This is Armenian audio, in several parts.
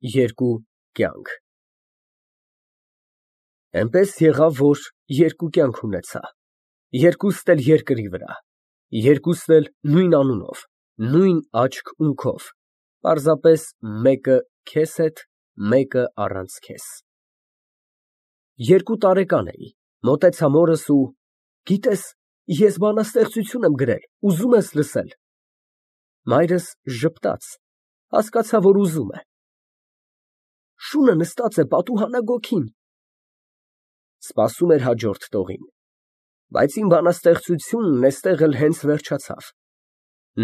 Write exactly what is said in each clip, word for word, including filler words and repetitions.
Երկու կյանք Էնպես եղավ, որ երկու կյանք ունեցա, երկուստ էլ երկրի վրա, երկուստ էլ նույն անունով, նույն աչք֊ունքով, պարզապես մեկը քեզ հետ, մեկը առանց քեզ։ Երկու տարեկան էի, մոտեցա մորս ու գիտես, ես բանաստեղծություն եմ գրել, ուզո՞ւմ ես լսել։ Մայրս ժպտաց, հասկացա, որ ուզում է։ Շունը նստած է պատուհանագոգին։ Սպասում էր հաջորդ տողին, բայց իմ բանաստեղծությունն էստեղ էլ հենց վերջացավ,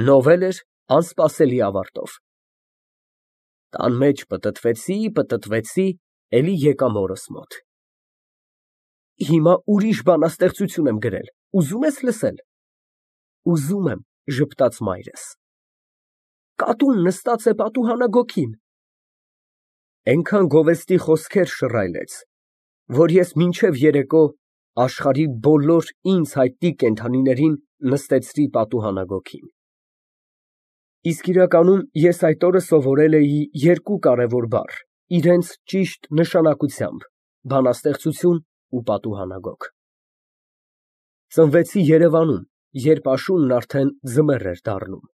նովել էր անսպասելի ավարտով։ Տան մեջ պտտվեցի, պտտվեցի, էլի եկա մորս մոտ։ Հիմա ուրիշ բանաստեղծություն եմ գրել, ուզո՞ւմ ես լսել։ Ուզում եմ, ժպտաց մայրս։ Կատուն նստած է պատուհանագոգին։ Էնքան գովեստի խոսքեր շռայլեց, որ ես մինչև երեկո աշխարհի բոլոր ինձ հայտնի կենդանիներին նստեցրի պատուհանագոգին։ Իսկ իրականում ես այդ օրը սովորել էի երկու կարևոր բառ, իրենց ճիշտ նշանակությամբ՝ բանաստեղծություն ու պատուհանագոգ։ Ծնվեցի Երևանում, երբ աշունն արդեն ձմեռ էր դառնում։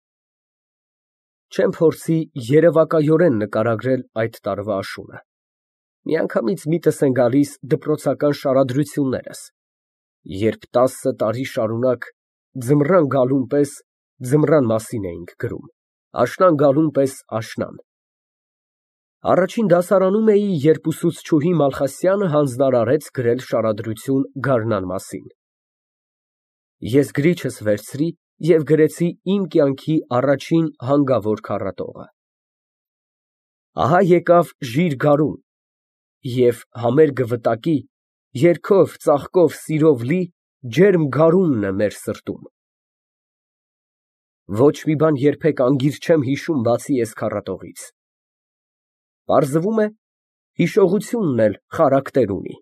Չեմ փորձի երևակայորեն նկարագրել այդ տարվա աշունը, միանգամից միտս են գալիս դպրոցական շարադրություններս, երբ տասը տարի շարունակ ձմռան գալուն պես ձմռան մասին էինք գրում, աշնան գալուն պես աշնան։ Առաջին դասարանում էի, երբ ուսուցչուհի Մալխասյանը հանձնարարեց գրել շարադրություն գարնան մասին։ Ես գրիչս վերցրի և գրեցի իմ կյանքի առաջին հանգավոր քառատողը։ Ահա եկավ ժիր գարուն, և համերգը վտակի, երգով, ծաղկով, սիրով լի ջերմ գարունն է մեր սրտում։ Ոչ մի բան երբեք անգիր չեմ հիշում, բացի էս քառատողից։ Պարզվում է, հիշողությունն էլ խարակտեր ունի,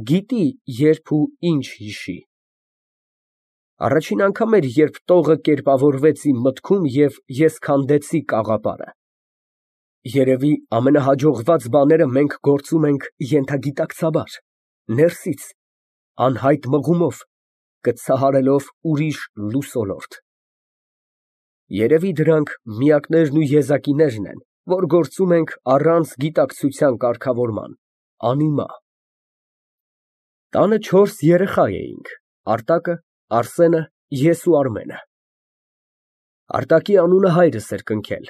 գիտի երբ ու ինչ հիշի։ Առաջին անգամ էր, երբ տողը կերպավորվեց իմ մտքում և ես քանդեցի կաղապարը։ Երևի ամենահաջողված բաները մենք գործում ենք ենթագիտակցաբար, ներսից, անհայտ մղումով, կցահարելով ուրիշ լուսոլորտ։ Երևի դրանք միակներն ու եզակիներն են, որ գործում ենք առանց գիտակցության կարգավորման, անիմա։ Տանը չորս երեխա էինք՝ Արտակը, Արսենը, ես ու Արմենը։ Արտակի անունը հայրս էր կնքել,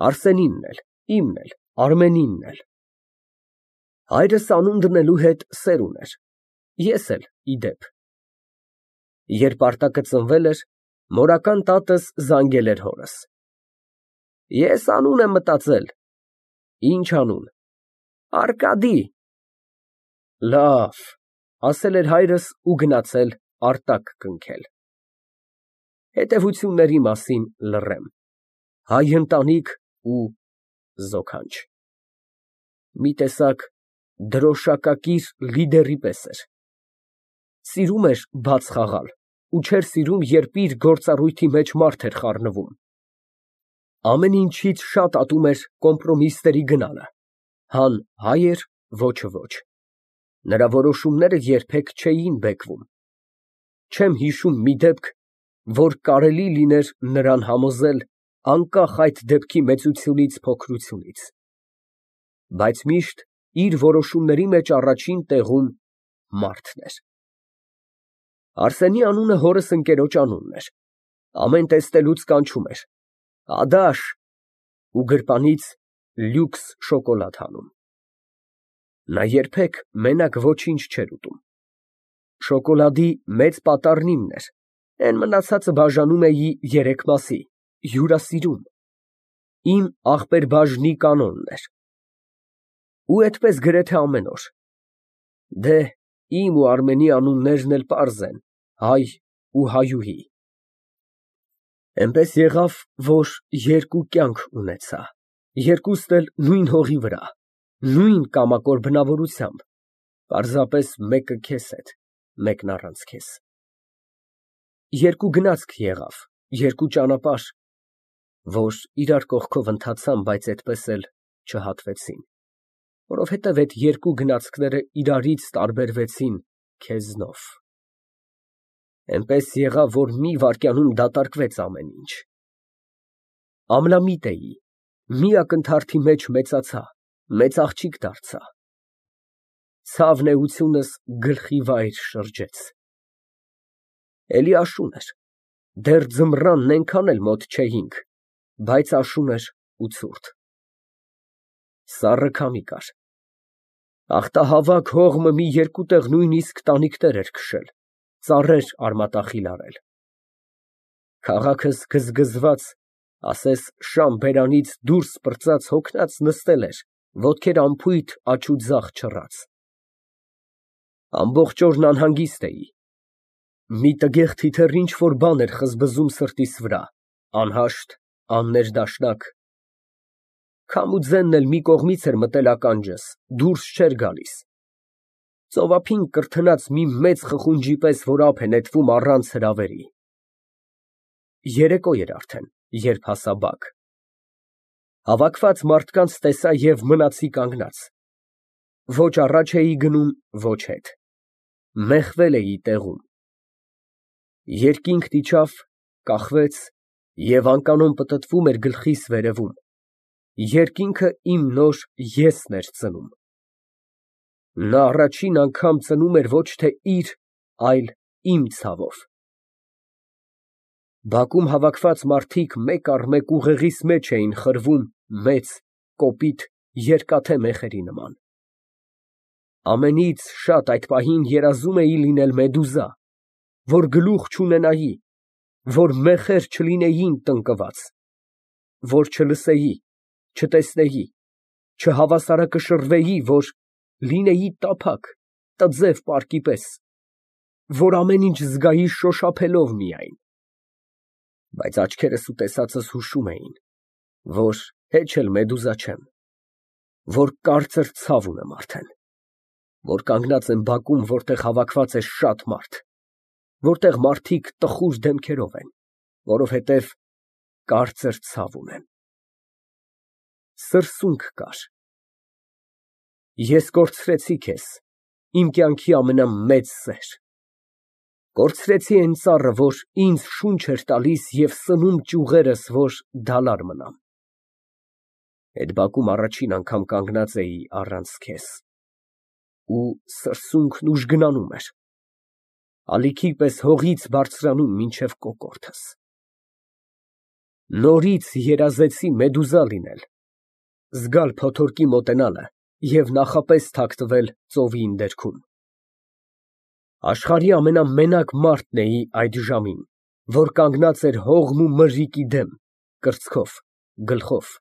Արսենինն էլ, իմն էլ, Արմենինն էլ։ Հայրս անուն դնելու հետ սեր ուներ, ես էլ, ի դեպ։ Երբ Արտակը ծնվել էր, մորական տատս զանգել էր հորս։ Ես անուն եմ մտածել։ Ինչ անուն։ Արկադի։ Լավ, ասել էր հայրս ու գնացել Արտակ կնքել։ Հետևությունների մասին լռեմ, հայ ընտանիք ու զոքանչ։ Մի տեսակ դրոշակակիր լիդերի պես էր։ Սիրում էր բաց խաղալ ու չէր սիրում, երբ իր գործառույթի մեջ մարդ էր խառնվում։ Ամեն ինչից շատ ատում էր կոմպրոմիսների գնալը, հան հայ էր, ոչը ոչ։ Նրա որոշումները երբեք չէին բեկվում։ Չեմ հիշում մի դեպք, որ կարելի լիներ նրան համոզել անկախ այդ դեպքի մեծությունից, փոքրությունից։ Բայց միշտ իր որոշումների մեջ առաջին տեղում մարդն էր։ Արսենի անունը հորս ընկերոջ անունն էր, ամեն տեսնելուց կանչում էր. Ադաշ, ու գրպանից լյուքս շոկոլադ հանում։ Նա երբեք մենակ ոչինչ չէր ուտում։ Շոկոլադի մեծ պատառն իմն էր, էն մնացածը բաժանում էի երեք մասի, հյուրասիրում, իմ ախպեր֊բաժնի կանոնն էր։ Ու էդպես գրեթե ամեն օր։ Դե, իմ ու Արմենի անուններն էլ պարզ են, հայ ու հայուհի։ Էնպես եղավ, որ երկու կյանք ունեցա, երկուստ էլ նույն հողի վրա, նույն կամակոր բնավորությամբ, պարզապես մեկը քեզ հետ, մեկն առանց քեզ։ Երկու գնացք եղավ, երկու ճանապարհ, որ իրար կողքով ընթացան, բայց էդպես էլ չհատվեցին, որովհետև այդ երկու գնացքները իրարից տարբերվեցին քեզնով։ Էնպես եղավ, որ մի վայրկյանում դատարկվեց ամեն ինչ։ Ամլամիտ էի, մի ակնթարթի մեջ մեծացա, մեծ աղջիկ դարձա։ Ցավն էությունս գլխի վայր շրջեց։ Էլի աշուն էր, դեռ ձմռանն էնքան էլ մոտ չէինք, բայց աշուն էր ու ցուրտ։ Սառը քամի կար։ Ախտահավաք հողմը մի երկու տեղ նույնիսկ տանիքներ էր քշել, ծառեր արմատախիլ արել։ Քաղաքս գզգզված, ասես շամ բերանից դուրս պրծած հոգնած նստել էր, ոտքեր անփույթ աջ ու ձախ չռած։ Ամբողջ օրն անհանգիստ էի։ Մի տգեղ թիթեռ ինչ֊որ բան էր խզբզում սրտիս վրա, անհաշտ, աններդաշնակ։ Քամու ձենն էլ մի կողմից էր մտել ականջս, դուրս չէր գալիս։ Ծովափին կրթնած մի մեծ խխունջի պես, որ ափ է նետվում առանց հրավերի։ Երեկո էր արդեն, երբ հասա բակ։ Հավաքված մարդկանց տեսա և մնացի կանգնած։ Ոչ առաջ էի գնում, ոչ հետ։ Մեխվել էի տեղում։ Երկինքն իջավ, կախվեց և անկանոն պտտվում էր գլխիս վերևում։ Երկինքը իմ նոր ես֊ն էր ծնում։ Նա առաջին անգամ ծնում էր ոչ թե իր, այլ իմ ցավով։ Բակում հավաքված մարդիկ մեկ առ մեկ ուղեղիս մեջ էին խրվում մեծ, կոպիտ, երկաթե մեխերի նման։ Ամենից շատ այդ պահին երազում էի լինել մեդուզա, որ գլուխ չունենայի, որ մեխեր չլինեին տնկված, որ չլսեի, չտեսնեի, չհավասարակշռվեի, որ լինեի տափակ, տձև պարկի պես, որ ամեն ինչ զգայի շոշափելով միայն։ Բայց աչքերս ու տեսածս հուշում էին, որ հեչ էլ մեդուզա չեմ, որ կարծր ցավ ունեմ արդեն, որ կանգնած եմ բակում, որտեղ հավաքված է շատ մարդ, որտեղ մարդիկ տխուր դեմքերով են, որովհետև կարծր ցավ ունեմ։ Սրսունք կար։ Ես կորցրեցի քեզ, իմ կյանքի ամենամեծ սեր, կորցրեցի այն ծառը, որ ինձ շունչ էր տալիս և սնում ճյուղերս, որ դալար մնամ։ Այդ բակում առաջին անգամ կանգնած էի առանց քեզ, ու սրսունքն ուժգնանում էր, ալիքի պես հողից բարձրանում մինչև կոկորդս։ Նորից երազեցի մեդուզա լինել, զգալ փոթորկի մոտենալը և նախապես թաքնվել ծովի ընդերքում։ Աշխարհի ամենամենակ մարդն էի այդ ժամին, որ կանգնած էր հողմ ու մրրիկի դեմ, կրծքով, գլխով։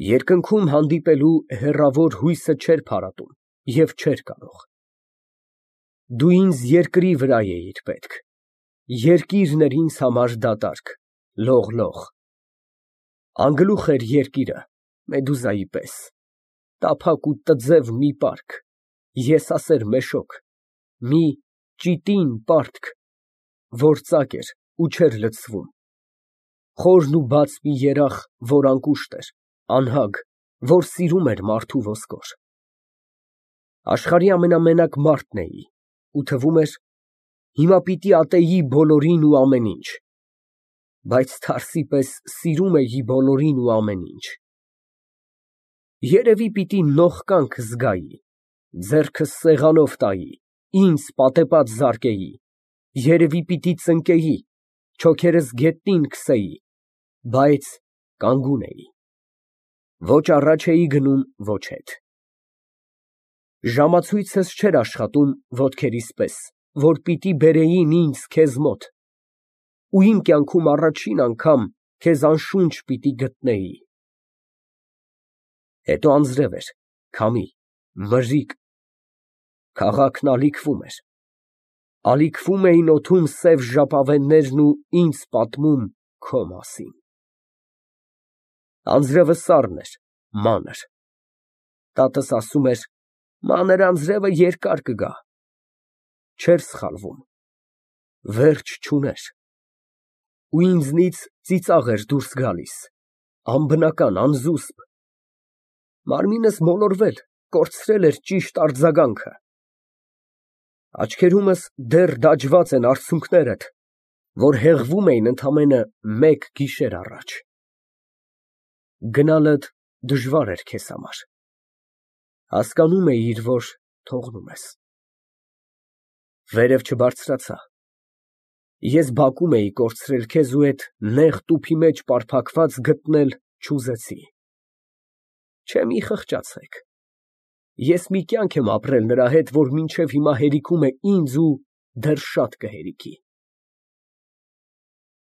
Երկնքում հանդիպելու հեռավոր հույսը չէր փարատում և չէր կարող։ Դու ինձ երկրի վրա էիր պետք, երկիրն էր ինձ համար դատարկ, լող֊լող։ Անգլուխ էր երկիրը, մեդուզայի պես, տափակ ու տձև մի պարկ, եսասեր մեշոք, մի ճիտին պարտք, որ ծակ էր ու չէր լցվում, խորն ու բաց մի երախ, որ անկուշտ էր, անհագ, որ սիրում էր մարդու ոսկոր։ Աշխարհի ամենամենակ մարդն էի, ու թվում էր, հիմա պիտի ատեի բոլորին ու ամեն ինչ, բայց թարսի պես սիրում էի բոլորին ու ամեն ինչ։ Երևի պիտի նողկանք զգայի, ձեռքս սեղանով տայի, ինձ պատեպած զարկեի, երևի պիտի ծնկեի, չոքերս գետնին քսեի, բայց կանգուն էի, ոչ առաջ էի գնում, ոչ հետ։ Ժամացույցս չէր աշխատում ոտքերիս պես, որ պիտի բերեին ինձ քեզ մոտ, ու իմ կյանքում առաջին անգամ քեզ անշունչ պիտի գտնեի։ Հետո անձրև էր, քամի, մրրիկ, քաղաքն ալիքվում էր, ալիքվում էին օդում սև ժապավեններն ու ինձ պատմում քո մասին։ Անձրևը սառն էր, մանր։ Տատս ասում էր. մանր անձրևը երկար կգա։ Չէր սխալվում, վերջ չուներ, ու ինձնից ծիծաղ էր դուրս գալիս, անբնական, անզուսպ, Մարմինս մոլորվել, կորցրել էր ճիշտ արձագանքը։ Աչքերումս դեռ դաջված են արցունքներդ, որ հեղվում էին ընդամենը մեկ գիշեր առաջ։ Գնալդ դժվար էր քեզ համար, հասկանում էիր, որ թողնում ես։ Վերև չբարձրացա, ես բակում էի կորցրել քեզ ու էդ նեղ տուփի մեջ պարփակված գտնել չուզեցի։ Չէ, մի խղճացեք, ես մի կյանք եմ ապրել նրա հետ, որ մինչև հիմա հերիքում է ինձ ու դեռ շատ կհերիքի։